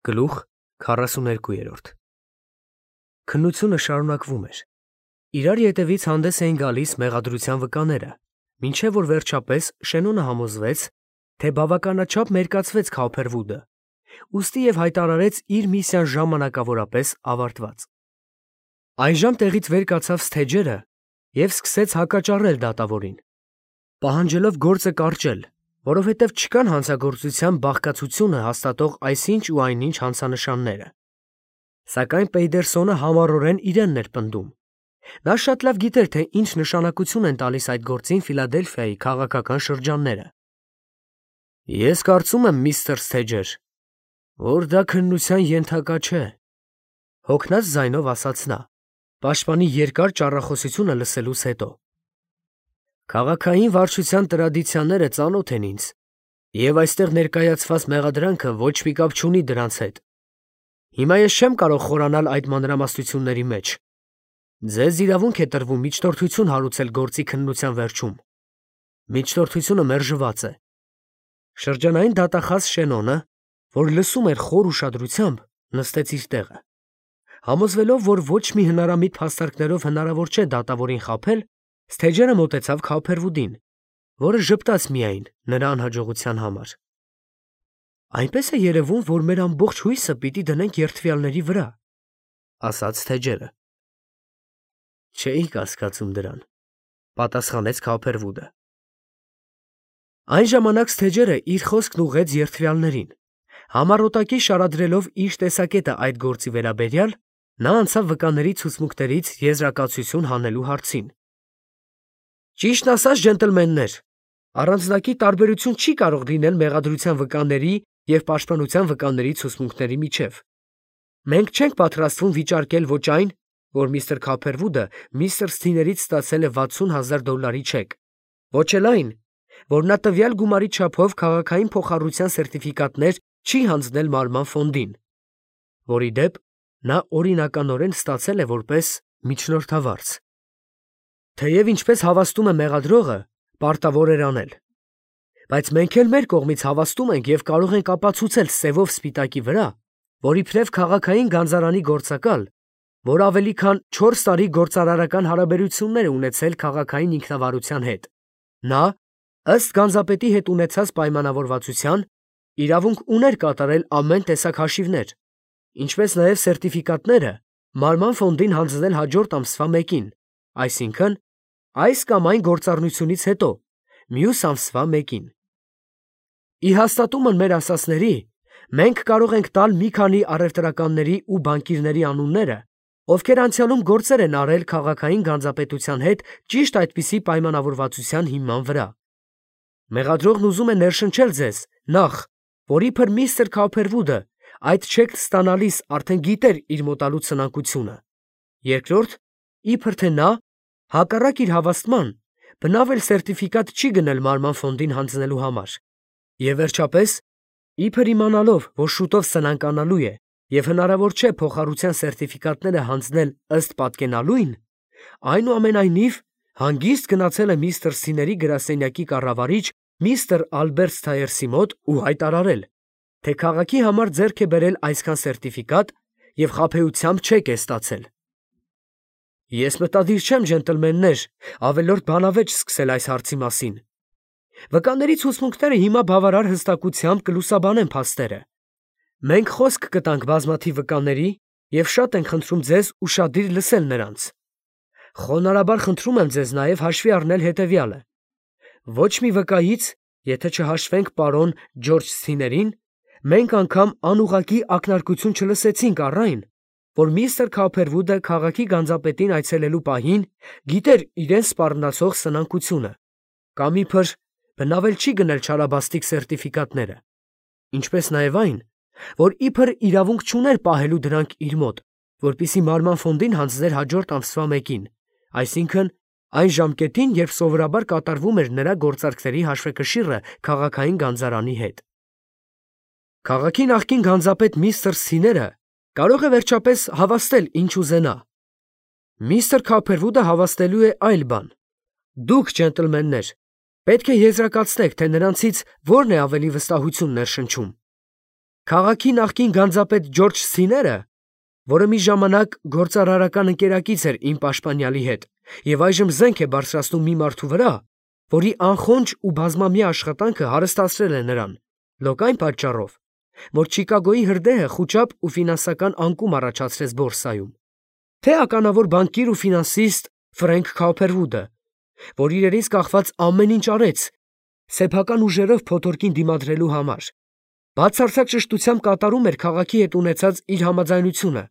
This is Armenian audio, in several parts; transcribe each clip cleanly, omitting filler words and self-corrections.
Գլուխ 42 Քննությունը շարունակվում էր. իրար ետևից հանդես էին գալիս մեղադրության վկաները, մինչև որ վերջապես Շենոնը համոզվեց, թե բավականաչափ մերկացվեց Քոփերվուդը, ուստի և հայտարարեց իր միսիան ժամանակավորապես ավարտված։ Այժմ տեղից վեր կացավ Սթեջերը և սկսեց հակաճառել դատավորին, պահանջելով գործը կարճել, որովհետև չկան հանցագործության բաղկացությունը հաստատող այսինչ ու այնինչ հանցանշանները։ Սակայն Պեյդերսոնը համառորեն իրենն էր պնդում։ Նա շատ լավ գիտեր, թե ինչ նշանակություն են տալիս այդ գործին Ֆիլադելֆիայի քաղաքական շրջանները։ Ես կարծում եմ, միստր Սթեջեր, որ դա քննության ենթակա չէ, հոգնած ձայնով ասաց նա, պաշտպանի երկար ճառախոսությունը լսելուց հետո։ Քաղաքային վարչության տրադիցիաները ծանոթ են ինձ, և այստեղ ներկայացված մեղադրանքը ոչ մի կապ չունի դրանց հետ։ Հիմա ես չեմ կարող խորանալ այդ մանրամասնությունների մեջ։ Ձեզ իրավունք է տրվում միջնորդություն հարուցել գործի քննության վերջում։ Միջնորդությունը մերժված է։ Շրջանային դատախազ Շենոնը, որ լսում էր խոր ուշադրությամբ, նստեց իր տեղը։ Համոզվելով, որ ոչ մի հնարամիտ փաստարկներով հնարավոր չէ դատավորին խաբել, Սթեջերը մոտեցավ Քոփերվուդին, որը ժպտաց միայն նրա անհաջողության համար։ Այնպես է երևում, որ մեր ամբողջ հույսը պիտի դնենք երդվյալների վրա, ասաց Սթեջերը։ Չէի կասկածում դրան, պատասխանեց Քոփերվուդը։ Այն ժամանակ Սթեջերը իր խոսքն ուղղեց երդվյալներին։ Համառոտակի շարադրելով իր տեսակետը այդ գործի վերաբերյալ, նա անցավ վկաների ցուցմունքներից եզրակացություն հանելու հարցին։ Ճիշտն ասած, ջենտլմեններ, առանձնակի տարբերություն չի կարող լինել մեղադրության վկաների և պաշտպանության վկաների ցուցմունքների միջև։ Մենք չենք պատրաստվում վիճարկել ոչ այն, որ միստր Քոփերվուդը միստր Սթիներից ստացել է $60,000 չեկ, ոչ էլ այն, որ նա տվյալ գումարի չափով քաղաքային փոխառության սերտիֆիկատներ չի հանձնել Մարման ֆոնդին, որի դեպ նա օրինականորեն ստացել է որպես միջնորդավարձ։ Թեև ինչպես հավաստում է մեղադրողը, պարտավոր էր անել։ Բայց մենք էլ մեր կողմից հավաստում ենք և կարող ենք ապացուցել սևով սպիտակի վրա, որ իբրև քաղաքային գանձարանի գործակալ, որ ավելի քան 4 տարի գործարարական հարաբերություններ է ունեցել քաղաքային ինքնավարության հետ, նա, ըստ գանձապետի հետ ունեցած պայմանավորվածության, իրավունք ուներ կատարել ամեն տեսակ հաշիվներ, ինչպես նաև սերտիֆիկատները Մարման ֆոնդին հանձնել հաջորդ ամսվա 1-ին, այսինքն այս կամ այն գործառնությունից հետո, մյուս ամսվա 1-ին։ Ի հաստատումն մեր ասածների, մենք կարող ենք տալ մի քանի առևտրականների ու բանկիրների անունները, ովքեր անցյալում գործեր են արել քաղաքային գանձապետության հետ ճիշտ այդպիսի պայմանավորվածության հիման վրա։ Մեղադրողն ուզում է ներշնչել ձեզ, նախ, որ իբր միստր Քոփերվուդը այդ չեկն ստանալիս արդեն գիտեր իր մոտալու ցնակությունը, երկրորդ, իբր թե նա, հակառակ իր հավաստման, բնավ էլ սերտիֆիկատ չի գնել Մարման ֆոնդին հանձնելու համար, և վերջապես, իբր իմանալով, որ շուտով սնանկանալու է և հնարավոր չէ փոխառության սերտիֆիկատները հանձնել ըստ պատկենալույն, այնուամենայնիվ հանգիստ գնացել է միստր Սթիների գրասենյակի կառավարիչ միստր Ալբերտ Սթայերսի մոտ ու հայտարարել, թե քաղաքի համար ձեռք է բերել այսքան սերտիֆիկատ և խաբեությամբ չեկ է ստացել։ Ես մտադիր չեմ, ջենտլմեններ, ավելորդ բանավեճ սկսել այս հարցի մասին։ Վկաների ցուցմունքները հիմա բավարար հստակությամբ կլուսաբանեն փաստերը։ Մենք խոսք կտանք բազմաթիվ վկաների և շատ ենք խնդրում ձեզ ուշադիր լսել նրանց։ Խոնարհաբար խնդրում եմ ձեզ նաև հաշվի առնել հետևյալը. ոչ մի վկայից, եթե չհաշվենք պարոն Ջորջ Սթիներին, մենք անգամ անուղղակի ակնարկություն չլսեցինք առ այն, որ միստր Քոփերվուդը քաղաքի գանձապետին այցելելու պահին գիտեր իրեն սպառնացող սնանկությունը, կամ իբր բնավ էլ չի գնել չարաբաստիկ սերտիֆիկատները, ինչպես նաև այն, որ իբր իրավունք չուներ պահելու դրանք իր մոտ, որպեսզի Մարման ֆոնդին հանձներ հաջորդ ամսվա 1-ին, այսինքն այն ժամկետին, երբ սովորաբար կատարվում էր նրա գործարքների հաշվեկշիռը քաղաքային գանձարանի հետ։ Քաղաքի նախկին գանձապետ միստր Սթիները կարող է վերջապես հավաստել ինչ ուզենա։ Միստր Քոփերվուդը հավաստելու է այլ բան։ Դուք, ջենտլմեններ, պետք է եզրակացնեք, թե նրանցից որն է ավելի վստահություն ներշնչում։ Քաղաքի նախկին գանձապետ Ջորջ Սիները, որը մի ժամանակ գործարարական ընկերակից էր իմ պաշտպանյալի հետ, եւ այժմ զենք է բարձրացնում մի մարդու վրա, որի անխոնջ ու բազմամյա աշխատանքը հարստացրել է նրան, լոկ այն պատճառով, որ Չիկագոյի հրդեհը խուճապ ու ֆինանսական անկում առաջացրեց բորսայում, թե ականավոր բանկիր ու ֆինանսիստ Ֆրենք Քոփերվուդը, որ իրենից կախված ամեն ինչ արեց սեփական ուժերով փոթորկին դիմադրելու համար, բացարձակ ճշտությամբ կատարում էր քաղաքի հետ ունեցած իր համաձայնությունը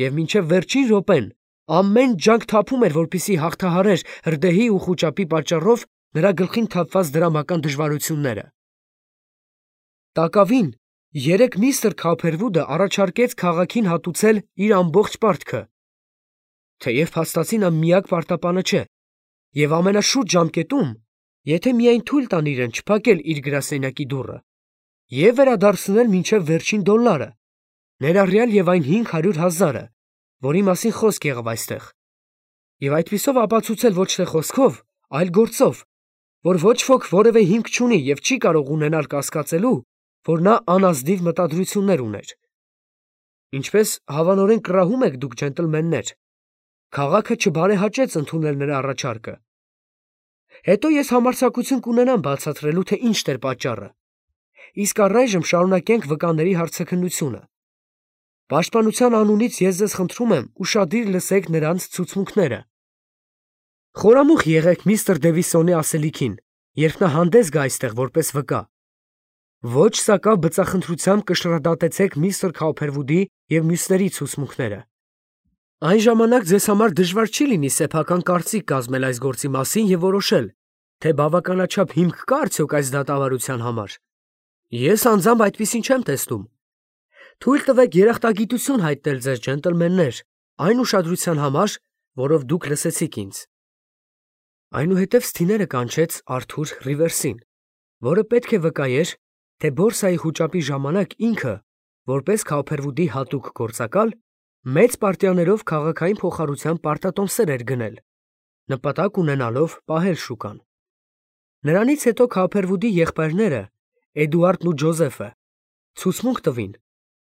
եւ մինչեւ վերջին րոպեն ամեն ջանք թափում էր, որպեսզի հաղթահարեր հրդեհի ու խուճապի պատճառով նրա գլխին թափված դրամական դժվարությունները։ Տակավին երեք միստր Քոփերվուդը առաջարկեց քաղաքին հատուցել իր ամբողջ պարտքը, թեև փաստացի նա միակ պարտապանը չէ, եւ ամենաշուտ ժամկետում, եթե միայն թույլ տան իրեն չփակել իր գրասենյակի դուռը եւ վերադարձնել մինչեւ վերջին դոլարը, ներառյալ եւ այն 500,000-ը, որի մասին խոսք եղավ այստեղ, եւ այդպիսով ապացուցել ոչ թե խոսքով, այլ գործով, որ ոչ ոք որևէ հիմք չունի եւ չի կարող ունենալ կասկածելու, որ նա անազնիվ մտադրություններ ուներ։ Ինչպես հավանորեն կռահում եք դուք, ջենտլմեններ, քաղաքը չբարեհաճեց ընդունել նրա առաջարկը։ Հետո ես համարձակություն կունենամ բացատրելու, թե ինչ էր պատճառը։ Իսկ առայժմ շարունակենք վկաների հարցաքննությունը։ Պաշտպանության անունից ես ձեզ խնդրում եմ ուշադիր լսեք նրանց ցուցմունքները։ Խորամուխ եղեք միստր Դևիսոնի ասելիքին, երբ նա հանդես գա այստեղ որպես վկա։ Ոչ սակավ բծախնդրությամբ կշռադատեցեք միստր Քոփերվուդի եւ մյուսների ցուցմունքները։ Այն ժամանակ ձեզ համար դժվար չի լինի սեփական կարծիք կազմել այս գործի մասին եւ որոշել, թե բավականաչափ հիմք կա արդյոք այս դատավարության համար։ Ես անձամբ այդպիսին չեմ տեսնում։ Թույլ տվեք երախտագիտություն հայտնել ձեզ, ջենտլմեններ, այն ուշադրության համար, որով դուք լսեցիք ինձ։ Այնուհետև Սթիները կանչեց Արթուր Ռիվերսին, որը պետք է վկայեր, թե բորսայի խուճապի ժամանակ ինքը, որպես Քոփերվուդի հատուկ գործակալ, մեծ պարտիաներով քաղաքային փոխառության պարտատոմսեր էր գնել, նպատակ ունենալով պահել շուկան։ Նրանից հետո Քոփերվուդի եղբայրները, Էդուարդն ու Ջոզեֆը, ցուցմունք տվին,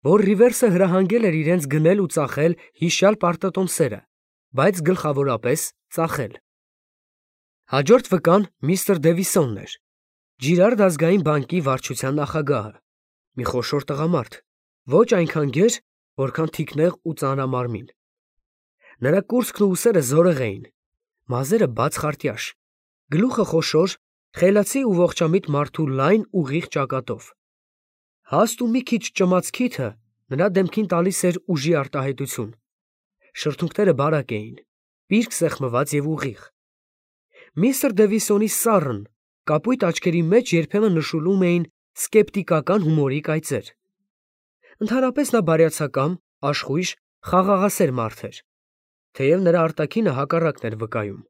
որ Ռիվերսը հրահանգել էր իրենց գնել ու ծախել հիշյալ պարտատոմսերը, բայց գլխավորապես ծախել։ Հաջորդ վկան միստր Դևիսոնն էր, Ջիրարդ ազգային բանկի վարչության նախագահը, մի խոշոր տղամարդ, ոչ այնքան գեր, որքան թիկնեղ ու ծանրամարմին։ Նրա կուրծքն ու ուսերը զորեղ էին, մազերը բաց խարտյաշ, գլուխը խոշոր, խելացի ու ողջամիտ մարդու լայն ուղիղ ճակատով։ Հաստ ու մի քիչ ճմած քիթը նրա դեմքին տալիս էր ուժի արտահայտություն։ Շրթունքները բարակ էին, պիրկ սեղմված եւ ուղիղ։ Միստր Դևիսոնի սառն, կապույտ աչքերի մեջ երբեմն նշուլում էին սկեպտիկական հումորի կայծեր։ Ընդհանրապես նա բարյացակամ, աշխույժ, խաղաղասեր մարդ էր, թեև նրա արտաքինը հակառակն էր վկայում։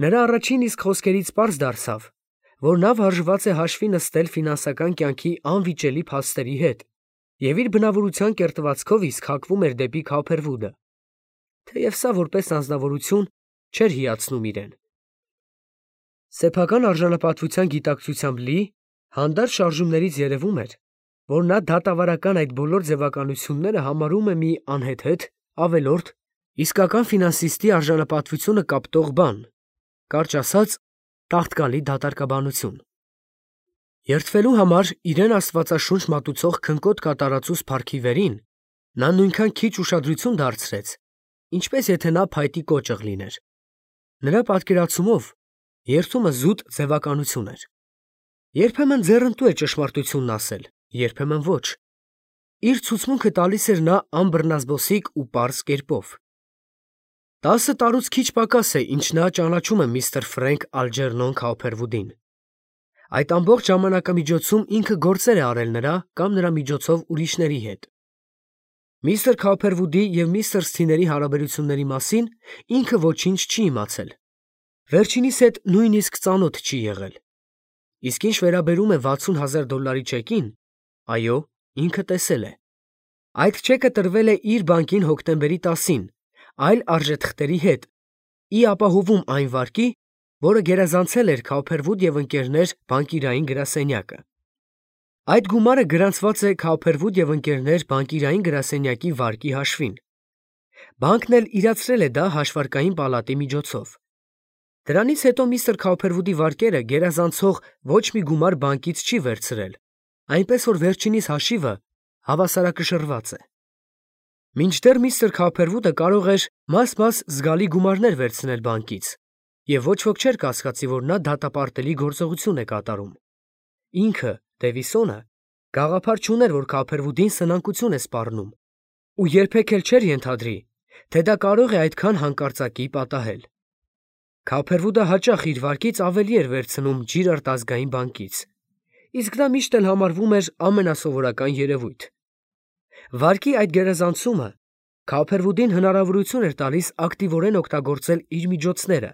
Նրա առաջին իսկ խոսքերից պարզ դարձավ, որ նա վարժված է հաշվի նստել ֆինանսական կյանքի անվիճելի փաստերի հետ եւ իր բնավորության կերտվածքով իսկ հակվում էր դեպի Քոփերվուդը, թեև սա որպես անձնավորություն չէր հիացնում իրեն։ Սեփական արժանապատվության գիտակցությամբ լի, հանդարտ շարժումներից երևում էր, որ նա դատավարական այդ բոլոր ձևականությունները համարում է մի անհեթեթ, ավելորդ, իսկական ֆինանսիստի արժանապատվությունը կապտող բան, կարճ ասած, տաղտկալի դատարկաբանություն։ Երդվելու համար իրեն աստվածաշունչ մատուցող քնկոտ կատարածուս փառքի վերին, նա նույնքան քիչ ուշադրություն դարձրեց, ինչպես եթե նա փայտի կոճղ լիներ։ Նրա պատկերացումով երդումը զուտ ձևականություն էր։ Երբեմն ձեռնտու է ճշմարտությունն ասել, երբեմն ոչ։ Իր ցուցմունքը տալիս էր նա անբռնազբոսիկ ու պարզ կերպով։ 10 տարուց քիչ պակաս է, ինչ նա ճանաչում է միստր Ֆրենք Ալջերնոն Քոփերվուդին։ Այդ ամբողջ ժամանակամիջոցում ինքը գործեր է արել նրա կամ նրա միջոցով ուրիշների հետ։ Միստր Քոփերվուդի եւ միստր Սթիների հարաբերությունների մասին ինքը ոչինչ չի իմացել։ Վերջինիս հետ նույնիսկ ծանոթ չի եղել։ Իսկ ինչ վերաբերում է $60,000 չեկին, այո, ինքը տեսել է։ Այդ չեկը տրվել է իր բանկին հոկտեմբերի 10-ին, այլ արժեթղթերի հետ, ի ապահովում այն վարկի, որը գերազանցել էր Քոփերվուդ եւ ընկերներ բանկիրային գրասենյակը։ Այդ գումարը գրանցված է Քափերվուդ և ընկերներ բանկիրային գրասենյակի վարկի հաշվին։ Բանկն էլ իրացրել է դա հաշվարկային պալատի միջոցով։ Դրանից հետո միստր Քափերվուդի վարկերը գերազանցող ոչ մի գումար բանկից չի վերցրել, այնպես որ վերջինիս հաշիվը հավասարակշռված է։ Մինչդեռ միստր Քափերվուդը կարող էր մաս-մաս զգալի գումարներ վերցնել բանկից, և ոչ ոք չէր կասկածի, որ նա դատապարտելի գործողություն է կատարում։ Ինքը, Դևիսոնը, գաղափար չուներ, որ Քափերվուդին սնանկություն է սպառնում, ու երբեք էլ չէր ենթադրի, թե դա կարող է այդքան հանկարծակի պատահել։ Քափերվուդը հաճախ իր վարկից ավելի էր վերցնում Ջիրարդ ազգային բանկից, իսկ դա միշտ էլ համարվում էր ամենասովորական երևույթ։ Վարկի այդ գերազանցումը Քափերվուդին հնարավորություն էր տալիս ակտիվորեն օգտագործել իր միջոցները,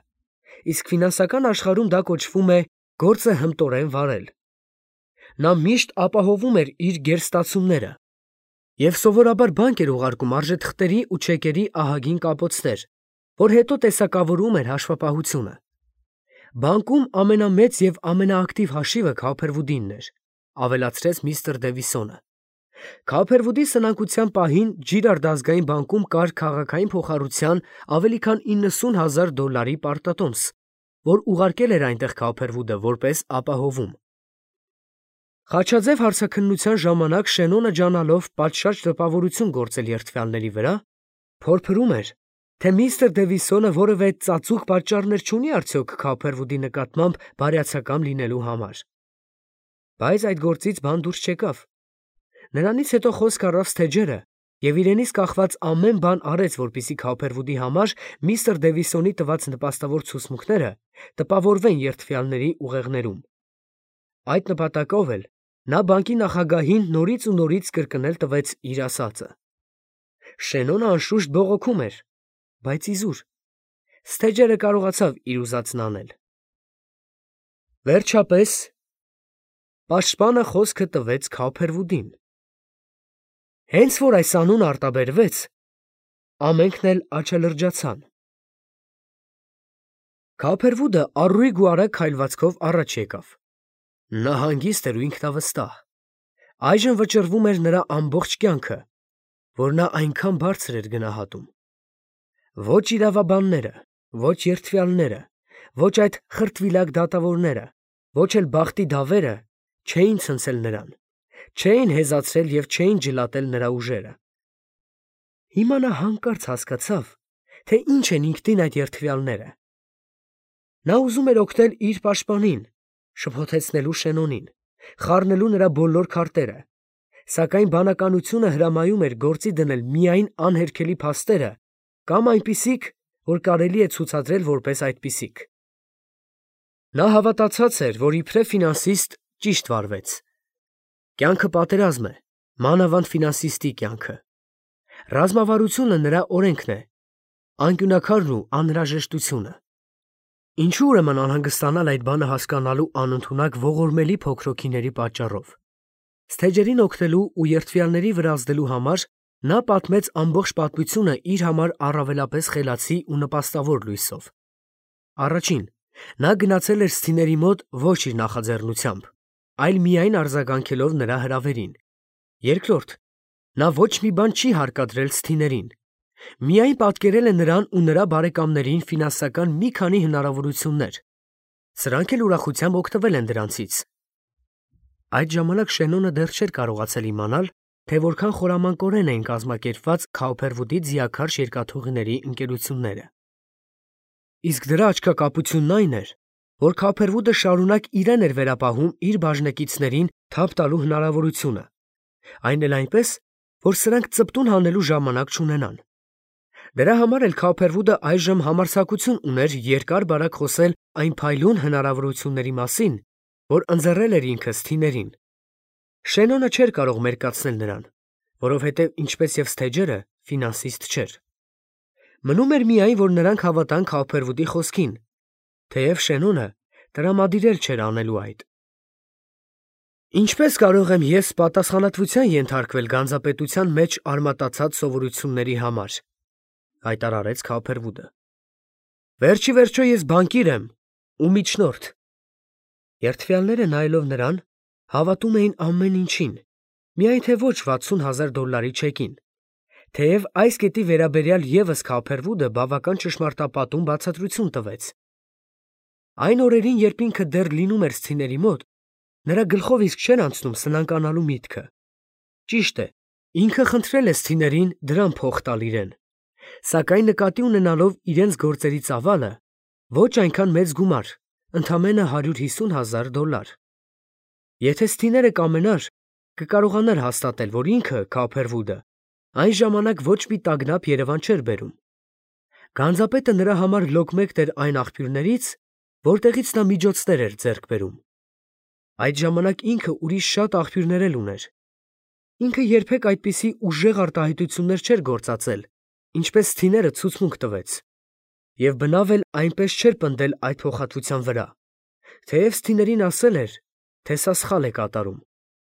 իսկ ֆինանսական աշխարհում դա կոչվում է գործը հմտորեն վարել։ Նա միշտ ապահովում էր իր գերստացումները և սովորաբար բանկ էր ուղարկում արժեթղթերի ու չեկերի ահագին կապոցներ, որ հետո տեսակավորում էր հաշվապահությունը։ Բանկում ամենամեծ և ամենաակտիվ հաշիվը Քափերվուդինն էր, ավելացրեց միստր Դևիսոնը։ Քափերվուդի սնանկության պահին Ջիրարդ ազգային բանկում կար քաղաքային փոխառության ավելի քան $90,000 պարտատոմս, որ ուղարկել էր այնտեղ Քափերվուդը որպես ապահովում։ Խաչաձև հարցաքննության ժամանակ Շենոնը ջանալով պատշաճ տպավորություն գործել երդվյալների վրա, փորփրում էր, թե միստր Դևիսոնը որևէ ծածուկ պատճառներ չունի արդյոք Քափերվուդի նկատմամբ բարյացակամ լինելու համար։ Բայց այդ գործից բան դուրս չեկավ։ Նրանից հետո խոսք առավ Սթեջերը և իրենից կախված ամեն բան արեց, որպեսզի Քափերվուդի համար միստր Դևիսոնի տված նպաստավոր ցուցմունքները տպավորվեն երդվյալների ուղեղներում։ Այդ նպատակով էլ նա բանկի նախագահին նորից ու նորից կրկնել տվեց իր ասածը։ Շենոնը անշուշտ բողոքում էր, բայց իզուր։ Սթեջերը կարողացավ իր ուզածն անել։ Վերջապես պաշտպանը խոսքը տվեց Քափերվուդին։ Հենց որ այս անունը արտաբերվեց, ամենքն էլ աչալրջացան։ Քափերվուդը առույգ ու արագ քայլվածքով առաջ եկավ։ Նա հանգիստ էր ու ինքնավստահ։ Այժմ վճռվում էր նրա ամբողջ կյանքը, որ նա այնքան բարձր էր գնահատում։ Ոչ իրավաբանները, ոչ երդվյալները, ոչ այդ խրտվիլակ դատավորները, ոչ էլ բախտի դավերը չէին ցնցել նրան, չէին հեզացրել և չէին ջլատել նրա ուժերը։ Հիմա նա հանկարծ հասկացավ, թե ինչ են ինքնին այդ երդվյալները։ Նա ուզում էր օգնել իր պաշտպանին, շփոթեցնելու Շենոնին, խառնելու նրա բոլոր քարտերը, սակայն բանականությունը հրամայում էր գործի դնել միայն անհերքելի փաստերը կամ այնպիսիք, որ կարելի է ցուցադրել որպես այդպիսիք։ Նա հավատացած էր, որ իբրև ֆինանսիստ ճիշտ վարվեց։ Կյանքը պատերազմ է, մանավանդ ֆինանսիստի կյանքը։ Ռազմավարությունը նրա օրենքն է, անկյունաքարն ու անհրաժեշտությունը։ Ինչու ուրեմն անհանգստանալ այդ բանը հասկանալու անընդունակ ողորմելի փոքրոքիների պատճառով։ Սթեջերին օգնելու ու երդվյալների վրա ազդելու համար նա պատմեց ամբողջ պատմությունը իր համար առավելապես խելացի ու նպաստավոր լույսով։ Առաջին, նա գնացել էր Սթիների մոտ ոչ իր նախաձեռնությամբ, այլ միայն արձագանքելով նրա հրավերին։ Երկրորդ, նա ոչ մի բան չի հարկադրել Սթիներին, միայն պատկերել է նրան ու նրա բարեկամներին ֆինանսական մի քանի հնարավորություններ։ Սրանք էլ ուրախությամբ օգտվել են դրանցից։ Այդ ժամանակ Շենոնը դեռ չէր կարողացել իմանալ, թե որքան խորամանկորեն էին կազմակերպված Քափերվուդի ձիաքարշ երկաթուղիների ընկերությունները։ Իսկ դրա աչքակապությունն այն էր, որ Քափերվուդը շարունակ իրեն էր վերապահում իր բաժնեկիցներին թափ տալու հնարավորությունը, այն էլ այնպես, որ սրանք ծպտուն հանելու ժամանակ չունենան։ Դրա համար էլ Քափերվուդը այժմ համարձակություն ուներ երկար-բարակ խոսել այն փայլուն հնարավորությունների մասին, որ ընձեռել էր ինքը Սթիներին։ Շենոնը չէր կարող մերկացնել նրան, որովհետև ինչպես և Սթեջերը ֆինանսիստ չէր։ Մնում էր միայն, որ նրանք հավատան Քափերվուդի խոսքին, թեև Շենոնը տրամադիրել չէր անելու այդ։ Ինչպես կարող եմ ես պատասխանատվության ենթարկվել գանձապետության մեջ արմատացած սովորությունների համար, հայտարարեց Քափերվուդը։ Վերջի վերջո ես բանկիր եմ ու միջնորդ։ Երդվյալները նայելով նրան Հավատում էին ամեն ինչին, միայն թե ոչ $60,000 չեկին, թեև այս կետի վերաբերյալ ևս Քոփերվուդը բավական ճշմարտապատում բացատրություն տվեց։ Այն օրերին, երբ ինքը դեռ լինում էր սթիների մոտ, նրա գլխով իսկ չէր անցնում սնանկանալու միտքը։ Ճիշտ է, ինքը խնդրել է սթիներին դրամ փող տալ իրեն, սակայն նկատի ունենալով իրենց գործերի ծավալը, ոչ այնքան մեծ գումար, ընդամենը $150,000։ Եթե սթիները կամենար, կկարողանար հաստատել, որ ինքը, Քոփերվուդը, այն ժամանակ ոչ մի տագնապ Երևան չէր բերում։ Գանձապետը նրա համար լոկմեկտ էր այն աղբյուրներից, որտեղից նա միջոցներ էր ձեռք բերում։ Այդ ժամանակ ինքը ուրիշ շատ աղբյուրներ էլ ուներ։ Ինքը երբեք այդպիսի ուժեղ արտահայտություններ չէր գործածել, ինչպես սթիները ցուցմունք տվեց, եւ բնավ էլ այնպես չէր պնդել այդ փոխհատվության վրա, թեև սթիներին ասել էր, թե սա սխալ է կատարում,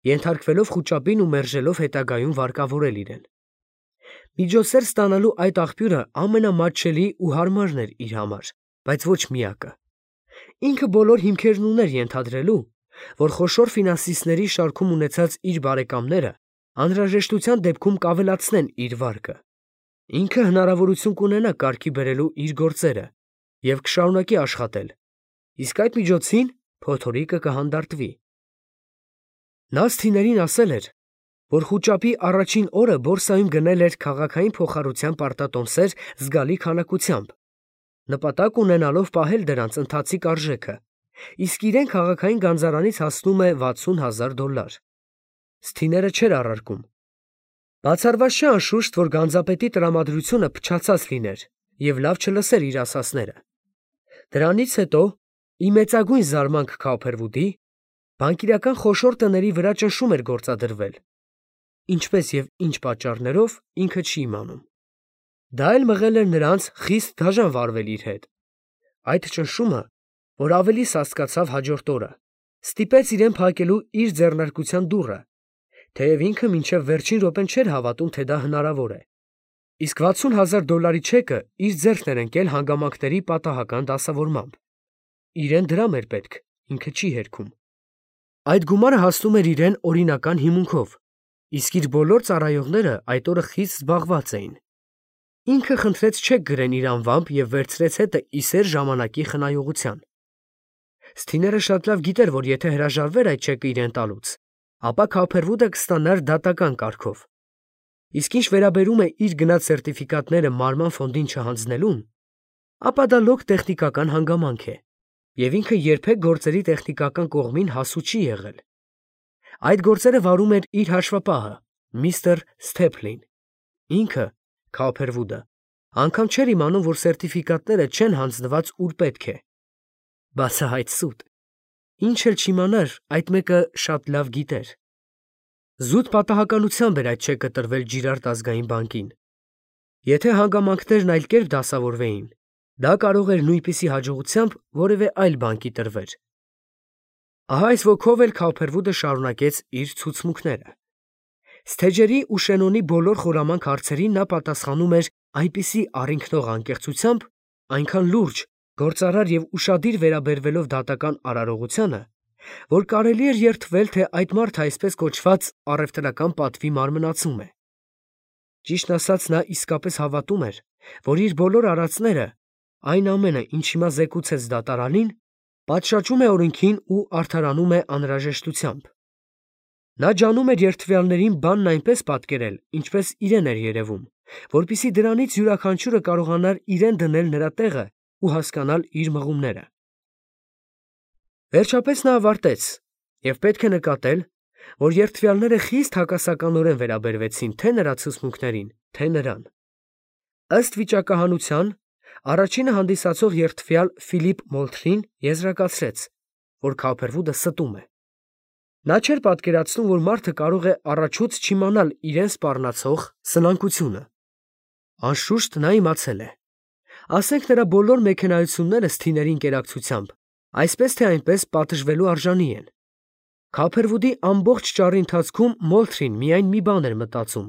ենթարկվելով խուճապին ու մերժելով հետագայում վարկավորել իրեն։ Միջոցներ ստանալու այդ աղբյուրը ամենամատչելի ու հարմարն էր իր համար, բայց ոչ միակը։ Ինքը բոլոր հիմքերն ուներ ենթադրելու, որ խոշոր ֆինանսիստների շարքում ունեցած իր բարեկամները անհրաժեշտության դեպքում կավելացնեն իր վարկը։ Ինքը հնարավորություն կունենա կարգի բերելու իր գործերը եւ կշարունակի աշխատել, իսկ այդ միջոցին փոթորիկը կհանդարտվի։ Նա սթիներին ասել էր, որ խուճապի առաջին օրը բորսայում գնել էր քաղաքային փոխառության պարտատոմսեր զգալի քանակությամբ, նպատակ ունենալով պահել դրանց ընթացիկ արժեքը, իսկ իրեն քաղաքային գանձարանից հասնում է $60,000։ Սթիները չէր առարկում։ Բացառված չէ անշուշտ, որ գանձապետի տրամադրությունը փչացած լիներ եւ լավ չլսեր իր ասածները։ Դրանից հետո, ի մեծագույն զարմանք Քոփերվուդի, բանկիրական խոշոր տների վրա ճնշում էր գործադրվել, ինչպես եւ ինչ պատճառներով ինքը չի իմանում։ Դա էլ մղել էր նրանց խիստ դաժան վարվել իր հետ։ Այդ ճնշումը, որ ավելի սաստկացավ հաջորդ օրը, ստիպեց իրեն փակելու իր ձեռնարկության դուռը, թեև ինքը մինչև վերջին րոպեն չէր հավատում, թե դա հնարավոր է։ Իսկ $60,000 չեկը իր ձեռքն էր ընկել հանգամանքների պատահական դասավորմամբ։ Իրեն դրամ էր պետք, ինքը չի հերքում։ Այդ գումարը հասնում էր իրեն օրինական հիմունքով, իսկ իր բոլոր ծառայողները այդ օրը խիստ զբաղված էին։ Ինքը խնդրեց չեք գրեն իր անվամբ եւ վերցրեց հետը իսեր ժամանակի խնայողության։ Սթիները շատ լավ գիտեր, որ եթե հրաժարվեր այդ չեկը իրեն տալուց, ապա Քոփերվուդը կստանար դատական կարգով։ Իսկ ինչ վերաբերում է իր գնած սերտիֆիկատները մարման ֆոնդին չհանձնելուն, ապա դա լոկ տեխնիկական հանգամանք է, եւ ինքը երբեք գործերի տեխնիկական կողմին հասու չի եղել։ Այդ գործերը վարում էր իր հաշվապահը, միստր Սթեփլին։ Ինքը, Քոփերվուդը, անգամ չէր իմանում, որ սերտիֆիկատները չեն հանձնված ուր պետք է։ Բացահայտ սուտ։ Ինչ էլ չիմանար, այդ մեկը շատ լավ գիտեր։ Զուտ պատահականությամբ էր այդ չեկը տրվել Ջիրարդ ազգային բանկին։ Եթե հանգամանքներն այլ կերպ դասավորվեին, դա կարող էր նույնպիսի հաջողությամբ որևէ այլ բանկի տրվել։ Ահա այս ոգով էլ Քոփերվուդը շարունակեց իր ցուցմունքները։ Սթեջերի ու Շենոնի բոլոր խորամանկ հարցերին նա պատասխանում էր այնպիսի առինքնող անկեղծությամբ, այնքան լուրջ, գործարար եւ ուշադիր վերաբերվելով դատական արարողությանը, որ կարելի էր երդվել, թե այդ մարդը այսպես կոչված առևտրական պատվի մարմնացում է։ Ճիշտն ասած, նա իսկապես հավատում էր, որ իր բոլոր արածները, այն ամենը, ինչ հիմա զեկուցեց դատարանին, պատշաճում է օրենքին ու արդարանում է անհրաժեշտությամբ։ Նա ջանում էր երդվյալներին բանն այնպես պատկերել, ինչպես իրեն էր երևում, որպեսզի դրանից յուրաքանչյուրը կարողանար իրեն դնել նրա տեղը ու հասկանալ իր մղումները։ Վերջապես նա ավարտեց, եւ պետք է նկատել, որ երդվյալները խիստ հակասականորեն վերաբերվեցին թե նրա ցուցմունքներին, թե նրան։ Ըստ վիճակահանության, առաջինը հանդիսացող երդվյալ Ֆիլիպ Մոլթրին եզրակացրեց, որ Քոփերվուդը ստում է։ Նա չէր պատկերացնում, որ մարդը կարող է առաջուց չիմանալ իրեն սպառնացող սնանկությունը։ Անշուշտ նա իմացել է։ Ասենք նրա բոլոր մեքենայությունները սթիների ինտերակցիությամբ այսպես թե այնպես պատժվելու արժանի են։ Քոփերվուդի ամբողջ ճառի ընթացքում Մոլթրին միայն մի բան էր մտածում,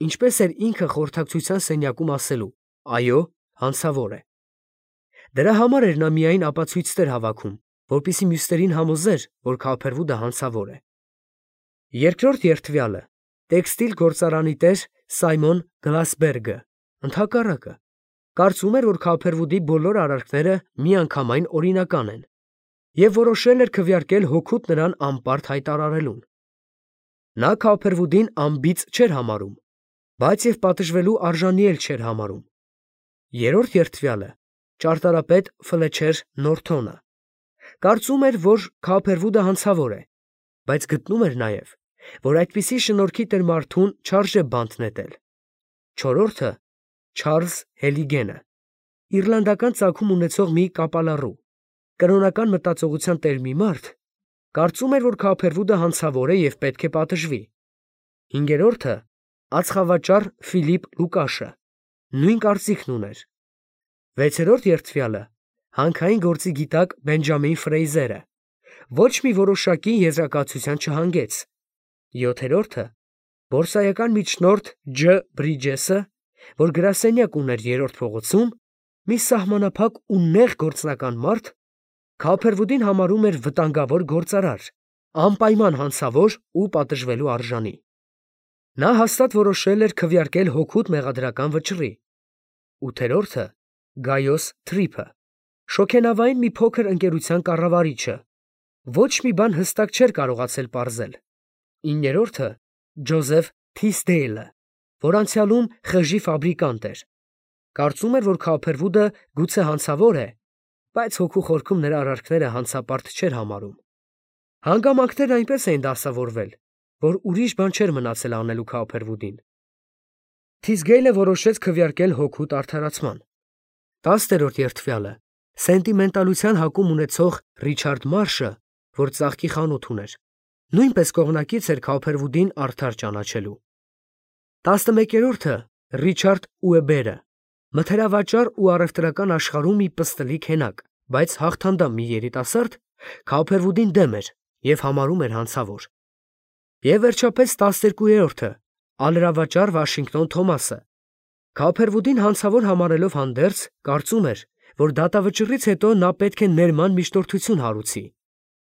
ինչպես էր ինքը խորհրդակցության սենյակում ասելու. այո, հանցավոր է։ Դրա համար էր նա միայն ապացույցներ հավաքում, որպեսզի մյուսներին համոզեր, որ Քոփերվուդը հանցավոր է։ Երկրորդ երթվյալը տեքստիլ գործարանի տեր Սայմոն Գլասբերգը ընդհակառակը կարծում էր, որ Քափերվուդի բոլոր արարքները միանգամայն օրինական են և որոշել էր քվեարկել հօգուտ նրան անպարտ հայտարարելուն։ Նա Քափերվուդին անբիծ չէր համարում, բայց և պատժվելու արժանի էլ չէր համարում։ Երրորդ երթվյալը ճարտարապետ Ֆլեչեր Նորթոնը կարծում էր, որ Քափերվուդը հանցավոր է, բայց գտնում էր նաև, որ այդպիսի շնորհքի տեր մարդուն չարժե բանտ նետել։ Չորրորդը Չարլզ Հելիգենը իռլանդական ծագում ունեցող մի կապալառու, կրոնական մտածողության տեր մի մարդ, կարծում էր, որ Քափերվուդը հանցավոր է և պետք է պատժվի։ Հինգերորդը ածխավաճառ Ֆիլիպ Լուկաշը նույն կարծիքն ուներ։ Վեցերորդ երթվյալը հանքային գործի գիտակ Բենջամին Ֆրեյզերը ոչ մի որոշակի եզրակացության չհանգեց։ Յոթերորդը բորսայական միջնորդ Ջ. Բրիջեսը, որ գրասենյակ ուներ երրորդ փողոցում, մի սահմանափակ ու նեղ գործնական մարդ, Քափերվուդին համարում էր վտանգավոր գործարար, անպայման հանցավոր ու պատժվելու արժանի։ Նա հաստատ որոշել էր քվեարկել հօգուտ մեղադրական վճռի։ Ութերորդը Գայոս Թրիփը շոգենավային մի փոքր ընկերության կառավարիչը, ոչ մի բան հստակ չէր կարողացել պարզել։ Իններորդը Ջոզեֆ Թիսդեյլը, որ անցյալում խժի ֆաբրիկանտ էր, կարծում էր, որ Քափերվուդը գուցե հանցավոր է, բայց հոգու խորքում նրա արարքները հանցապարտ չէր համարում։ Հանգամանքներն այնպես էին դասավորվել, որ ուրիշ բան չէր մնացել անելու Քափերվուդին։ Թիսգեյլը որոշեց քվեարկել հօգուտ արդարացման։ 10-րդ երթվյալը սենտիմենտալության հակում ունեցող Ռիչարդ Մարշը, որ ծաղկի խանութ ուներ, նույնպես կողմնակից էր Քափերվուդին արդար ճանաչելու։ 11-րդը Ռիչարդ Ուեբերը մթերավաճառ ու առևտրական աշխարհում մի պստլիկ հենակ, բայց հաղթանդամ մի երիտասարդ, Քափերվուդին դեմ էր և համարում էր հանցավոր։ Եվ վերջապես 12-րդը ալրավաճառ Վաշինգտոն Թոմասը Քափերվուդին հանցավոր համարելով հանդերձ, կարծում էր, որ դատավճռից հետո նա պետք է ներման միջնորդություն հարուցի։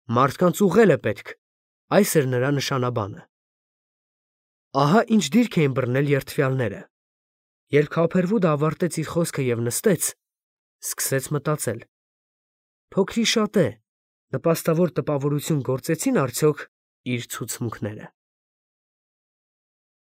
Մարդկանց ուղղել է պետք, այս էր նրա նշանաբանը։ Ահա ինչ դիրք էին բռնել երդվյալները։ Երբ Քափերվուդը ավարտեց իր խոսքը և նստեց, սկսեց մտածել. փոքրի շատ է, նպաստավոր տպավորություն գործեցին արդյոք իր ցուցմունքները։